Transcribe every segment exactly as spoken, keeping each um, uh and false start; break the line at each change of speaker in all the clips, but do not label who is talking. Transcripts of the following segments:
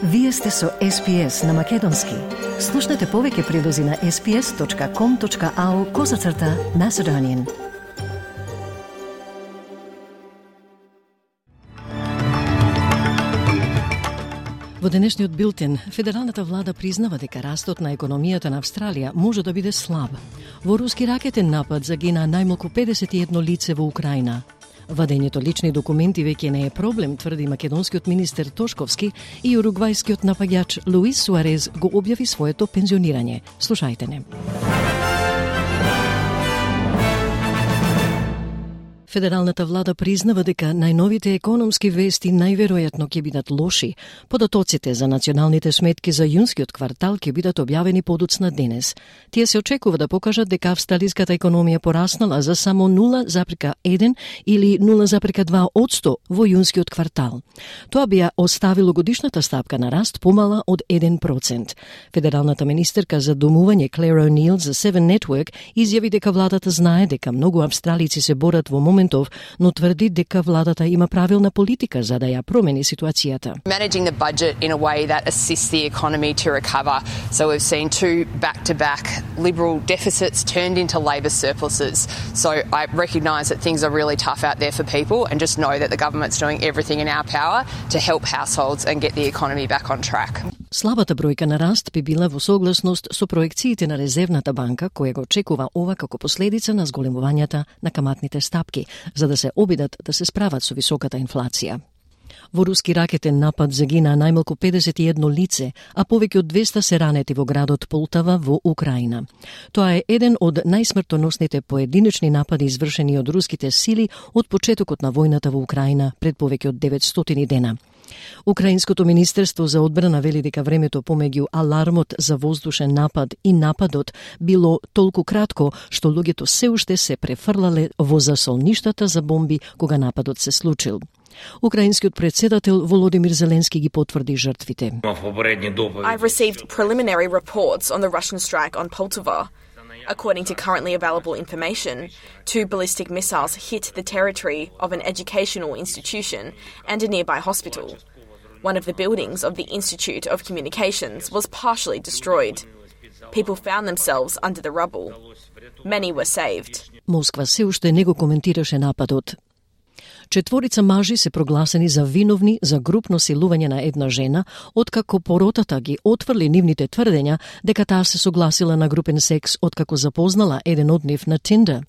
Вие сте со Ес Пи Ес на Македонски. Слушнете повеќе прилози на ес пи ес точка ком точка ау козацрта Macedonian. Во денешниот билтен, федералната влада признава дека растот на економијата на Австралија може да биде слаб. Во руски ракетен напад загина најмалку педесет и едно лице во Украина. Вадењето лични документи веќе не е проблем, тврди македонскиот министер Тошковски, и уругвајскиот напаѓач Луис Суарез го објави своето пензионирање. Слушајте не. Федералната влада признава дека најновите економски вести најверојатно ќе бидат лоши. Податоците за националните сметки за јунскиот квартал ќе бидат објавени подоцна денес. Тие се очекува да покажат дека австралиската економија пораснала за само нула запирка еден или нула запирка два одсто во јунскиот квартал. Тоа би ја оставило годишната стапка на раст помала од еден процент. Федералната министерка за домување Клер О'Нил за Seven Network изјави дека владата знае дека многу австралици се борат во моментов, но тврди дека владата има правилна политика за да ја промени ситуацијата.
Managing the budget in a way that assists the economy to recover. So we've seen two back-to-back Liberal deficits turned into Labor surpluses. So I recognise that things are really tough out there for people and just know that the government's doing everything in our power to help households and get the economy back on track.
Слабата бројка на раст би била во согласност со проекциите на Резервната банка, која го очекува ова како последица на зголемувањата на каматните стапки, за да се обидат да се справат со високата инфлација. Во руски ракетен напад загина најмалку педесет и едно лице, а повеќе од двеста се ранети во градот Полтава во Украина. Тоа е еден од најсмртоносните поединечни напади извршени од руските сили од почетокот на војната во Украина пред повеќе од деветстотини дена. Украинското министерство за одбрана вели дека времето помеѓу алармот за воздушен напад и нападот било толку кратко што луѓето се уште се префрлале во засолништата за бомби кога нападот се случил. Украинскиот председател Володимир Зеленски ги потврди жртвите.
I've received preliminary reports on the Russian strike on Poltava. According to currently available information, two ballistic missiles hit the territory of an educational institution and a nearby hospital. One of the buildings of the Institute of Communications was partially destroyed. People found themselves under the rubble. Many were saved.
Москва се уште не го коментираше нападот. Четворица мажи се прогласени за виновни за групно силување на една жена, откако поротата ги отврли нивните тврдења дека таа се согласила на групен секс откако запознала еден од нив на Tinder.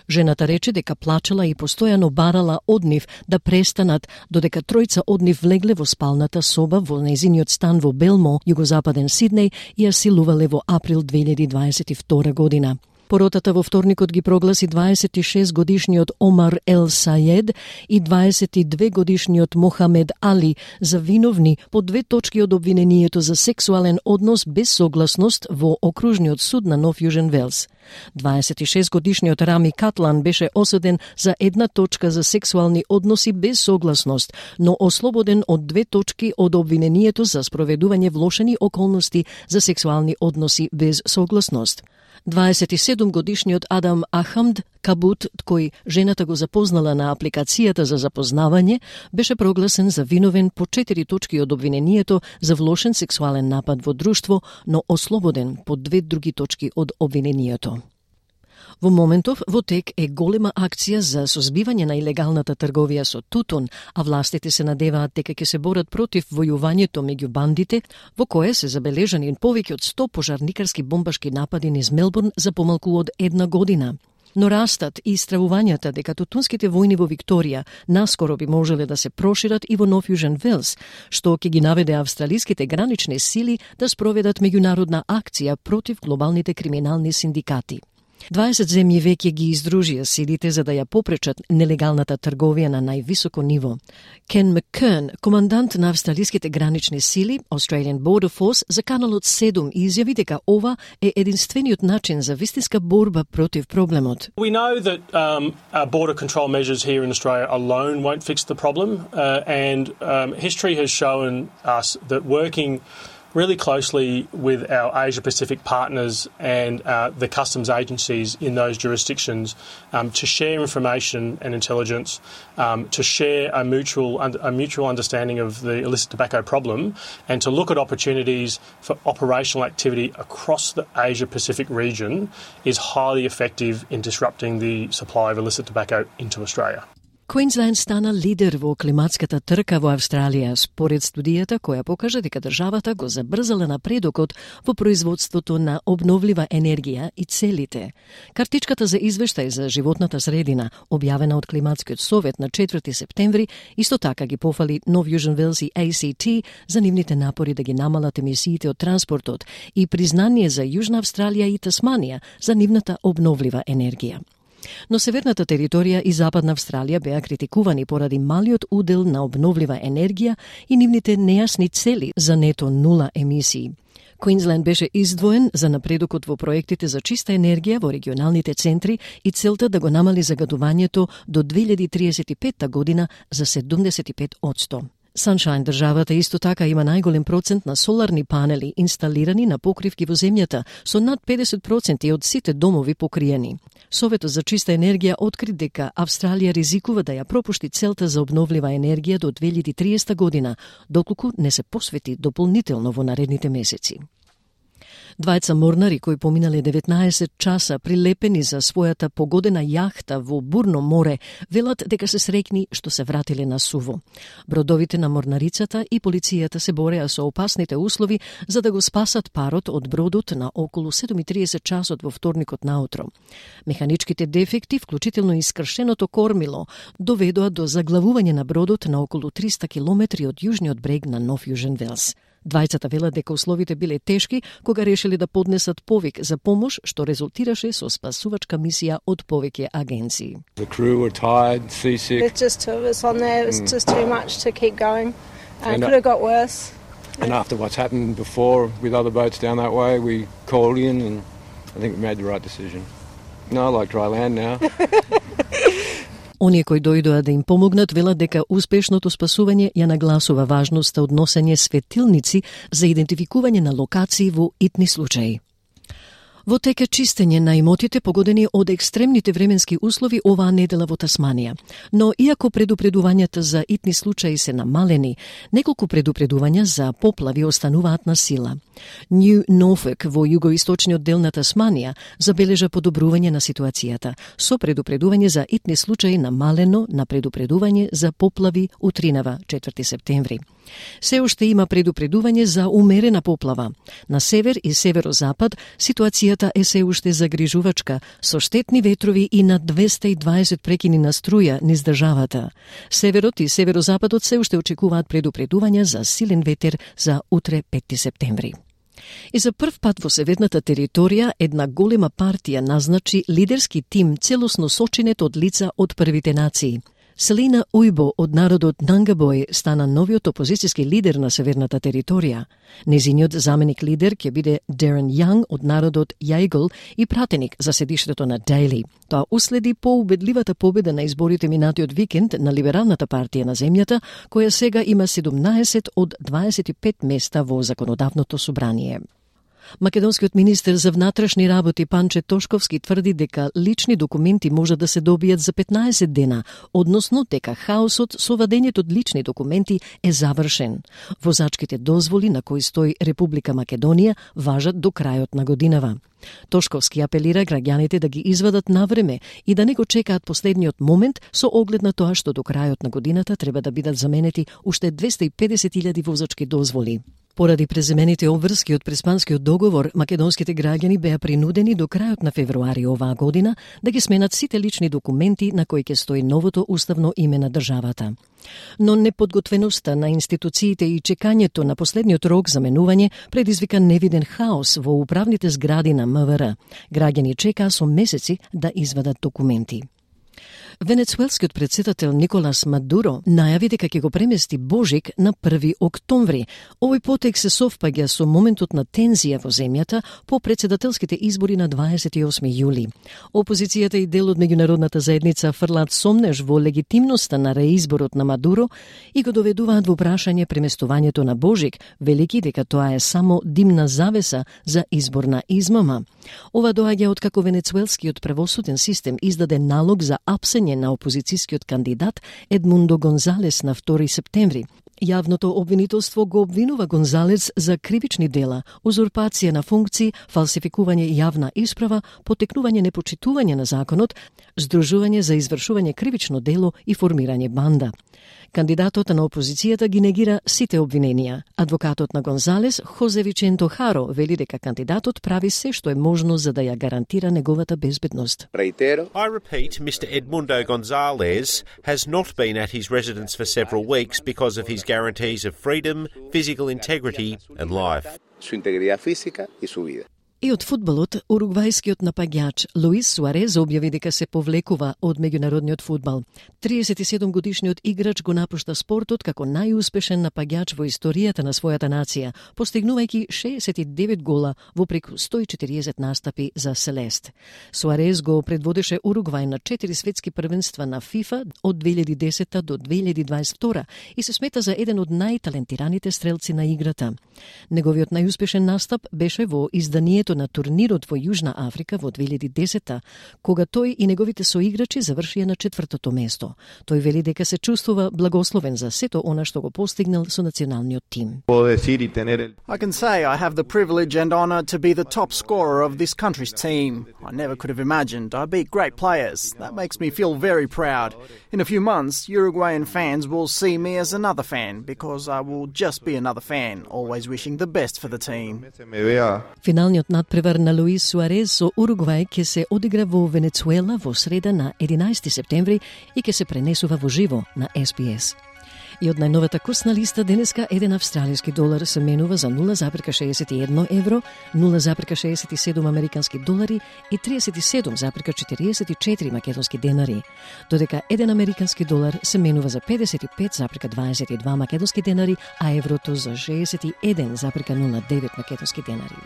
Жената рече дека плачела и постојано барала од нив да престанат, додека тројца од нив влегле во спалната соба во нејзиниот стан во Белмо, југозападен Сиднеј, и ја силувале во април две илјади дваесет и втора година. Поротата во вторникот ги прогласи дваесет и шест годишниот Омар Ел Саед и дваесет и две годишниот Мохамед Али за виновни по две точки од обвинението за сексуален однос без согласност во окружниот суд на Нов Јужен Велс. дваесет и шест годишниот Рами Катлан беше осуден за една точка за сексуални односи без согласност, но ослободен од две точки од обвинението за спроведување влошени околности за сексуални односи без согласност. дваесет и седум годишниот Адам Ахамд Кабут, кој жената го запознала на апликацијата за запознавање, беше прогласен за виновен по четири точки од обвинението за влошен сексуален напад во друштво, но ослободен по две други точки од обвинението. Во моментов во тек е голема акција за созбивање на илегалната трговија со тутун, а властите се надеваат дека ќе се борат против војувањето меѓу бандите, во кое се забележани повеќе од сто пожарникарски бомбашки напади низ Мелбурн за помалку од една година. Но растат и стравувањата дека тутунските војни во Викторија наскоро би можеле да се прошират и во Нов Јужен Велс, што ќе ги наведе австралиските гранични сили да спроведат меѓународна акција против глобалните криминални синдикати. дваесет земји веќе ги издружија силите за да ја попречат нелегалната трговија на највисоко ниво. Кен Маккерн, командант на австралиските гранични сили, Australian Border Force, за Каналот седум изјави дека ова е единствениот начин за вистинска борба против проблемот.
We know that um, our border control measures here in Australia alone won't fix the problem, uh, and um, history has shown us that working really closely with our Asia-Pacific partners and uh, the customs agencies in those jurisdictions um, to share information and intelligence, um, to share a mutual a mutual understanding of the illicit tobacco problem, and to look at opportunities for operational activity across the Asia-Pacific region is highly effective in disrupting the supply of illicit tobacco into Australia.
Квинсленд стана лидер во климатската трка во Австралија, според студијата која покажа дека државата го забрзала напредокот во производството на обновлива енергија и целите. Картичката за извештај за животната средина, објавена од Климатскиот совет на четврти септември, исто така ги пофали Нов Јужен Велс и А Си Ти за нивните напори да ги намалат емисиите од транспортот и признание за Јужна Австралија и Тасманија за нивната обновлива енергија. Но северната територија и западна Австралија беа критикувани поради малиот удел на обновлива енергија и нивните нејасни цели за нето нула емисии. Квинсленд беше издвоен за напредокот во проектите за чиста енергија во регионалните центри и целта да го намали загадувањето до две илјади триесет и петта година за седумдесет и пет одсто. Sunshine државата исто така има најголем процент на соларни панели инсталирани на покривки во земјата, со над педесет проценти од сите домови покриени. Советот за чиста енергија откри дека Австралија ризикува да ја пропушти целта за обновлива енергија до две илјади триесета година, доколку не се посвети дополнително во наредните месеци. Двајца морнари кои поминале деветнаесет часа прилепени за својата погодена јахта во бурно море велат дека се среќни што се вратиле на суво. Бродовите на морнарицата и полицијата се бореа со опасните услови за да го спасат парот од бродот на околу седум и триесет часот во вторникот наутро. Механичките дефекти, вклучително и скршеното кормило, доведоа до заглавување на бродот на околу триста километри од јужниот брег на Нов Јужен Велс. Двајцата велат дека условите биле тешки кога решили да поднесат повик за помош, што резултираше со спасувачка мисија од повеќе агенции.
The crew were tired, seasick.
There's just two of us on there. It's just too much to keep going. Uh, it could have got worse.
And after what's happened before with other boats down that way, we called in and I think we made the right decision. No, I like dry land now.
Оние кои дојдоа да им помогнат велат дека успешното спасување ја нагласува важноста од носење светилници за идентификување на локации во итни случаи. Во тек е чистење на имотите погодени од екстремните временски услови оваа недела во Тасманија. Но иако предупредувањата за итни случаи се намалени, неколку предупредувања за поплави остануваат на сила. Нью Норфолк во југоисточниот дел на Тасманија забележа подобрување на ситуацијата, со предупредување за итни случаи намалено на предупредување за поплави утринава четврти септември. Се уште има предупредување за умерена поплава. На север и северозапад ситуацијата е се уште загрижувачка, со штетни ветрови и на двесте и дваесет прекини на струја низ државата. Северот и северозападот се уште очекуваат предупредувања за силен ветер за утре петти септември. И за прв пат во северната територија една голема партија назначи лидерски тим целосно сочинет од лица од првите нации. Селина Ујбо од народот Нангабој стана новиот опозицијски лидер на северната територија. Незиниот заменик лидер ќе биде Дерен Јанг од народот Јајгол и пратеник за седиштето на Дейли. Тоа уследи поубедливата победа на изборите минатиот викенд на либералната партија на земјата, која сега има седумнаесет од дваесет и пет места во законодавното собрание. Македонскиот министер за внатрешни работи Панче Тошковски тврди дека лични документи можат да се добијат за петнаесет дена, односно дека хаосот со вадењето од лични документи е завршен. Возачките дозволи на кои стои Република Македонија важат до крајот на годинава. Тошковски апелира граѓаните да ги извадат на време и да не го чекаат последниот момент со оглед на тоа што до крајот на годината треба да бидат заменети уште двесте и педесет илјади возачки дозволи. Поради преземените обврски од Преспанскиот договор, македонските граѓани беа принудени до крајот на февруари оваа година да ги сменат сите лични документи на кои ќе стои новото уставно име на државата. Но неподготвеноста на институциите и чекањето на последниот рок за менување предизвика невиден хаос во управните згради на МВР. Граѓани чекаа со месеци да извадат документи. Венецуелскиот претседател Николас Мадуро најави дека ќе го премести Божик на први октомври. Овој потек се совпаѓа со моментот на тензија во земјата по претседателските избори на дваесет и осми јули. Опозицијата и дел од меѓународната заедница фрлаат сомнеж во легитимноста на реизборот на Мадуро и го доведуваат во прашање преместувањето на Божик, велики дека тоа е само димна завеса за изборна измама. Ова доаѓа откако венецуелскиот правосуден систем издаде налог за апсење на опозицијскиот кандидат Едмундо Гонзалес на втори септември. Јавното обвинителство го обвинува Гонзалес за кривични дела, узурпација на функции, фалсификување јавна исправа, потекнување непочитување на законот, здружување за извршување кривично дело и формирање банда. Кандидатот на опозицијата ги негира сите обвиненија. Адвокатот на Гонзалес, Хозе Виченто Харо, вели дека кандидатот прави се што е можно за да ја гарантира неговата безбедност.
I repeat, Mister Edmundo Gonzalez has not been at his residence for several weeks because of his guarantees of freedom, physical integrity and life.
Su integridad física y su vida.
И од фудбалот, уругвајскиот напаѓач Луис Суарез објави дека се повлекува од меѓународниот фудбал. триесет и седум годишниот играч го напушта спортот како најуспешен напаѓач во историјата на својата нација, постигнувајќи шеесет и девет гола во преку сто и четириесет настапи за Селест. Суарез го предводеше Уругвај на четири светски првенства на ФИФА од две илјади и десета до две илјади и дваесет и втора и се смета за еден од најталентираните стрелци на играта. Неговиот најуспешен настап беше во изданието на турнирот во Јужна Африка во две илјади и десета, кога тој и неговите соиграчи завршија на четвртото место. Тој вели дека се чувствува благословен за сето она што го постигнал со националниот тим.
I can say I have the privilege and honor to be the top scorer of this country's team. I never could have imagined I beat great players. That makes me feel very proud. In a few months, Uruguayan fans will see me as another fan because I will just be another fan, always wishing the best for the team.
Финалниот надпревар на Луис Суарез со Уругвај ќе се одигра во Венецуела во среда на единаесети септември и ќе се пренесува во живо на Ес Би Ес. И од најновата курсна листа денеска еден австралиски долар се менува за нула зарез шеесет и едно евро, нула зарез шеесет и седум американски долари и триесет и седум зарез четириесет и четири македонски денари, додека еден американски долар се менува за педесет и пет зарез дваесет и два македонски денари, а еврото за шеесет и еден зарез нула девет македонски денари.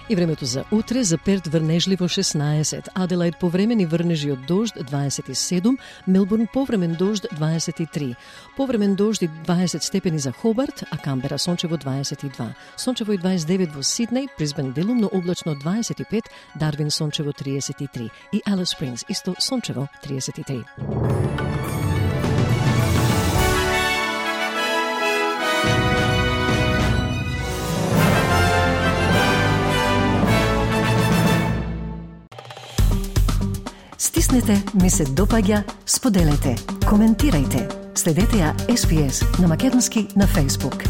И времето за утре: за Перт врнежливо шеснаесет, Аделаид повремени врнежи од дожд дваесет и седум, Мелбурн повремен дожд дваесет и три, повремен дожд и дваесет степени за Хобарт, а Камбера сончево дваесет и два, сончево и дваесет и девет во Сиднеј, Брисбен делумно облачно дваесет и пет, Дарвин сончево триесет и три и Алис Спрингс исто сончево триесет и три. Стиснете, ми се допаѓа, споделете, коментирајте. Следете ја Ес Би Ес на македонски на Facebook.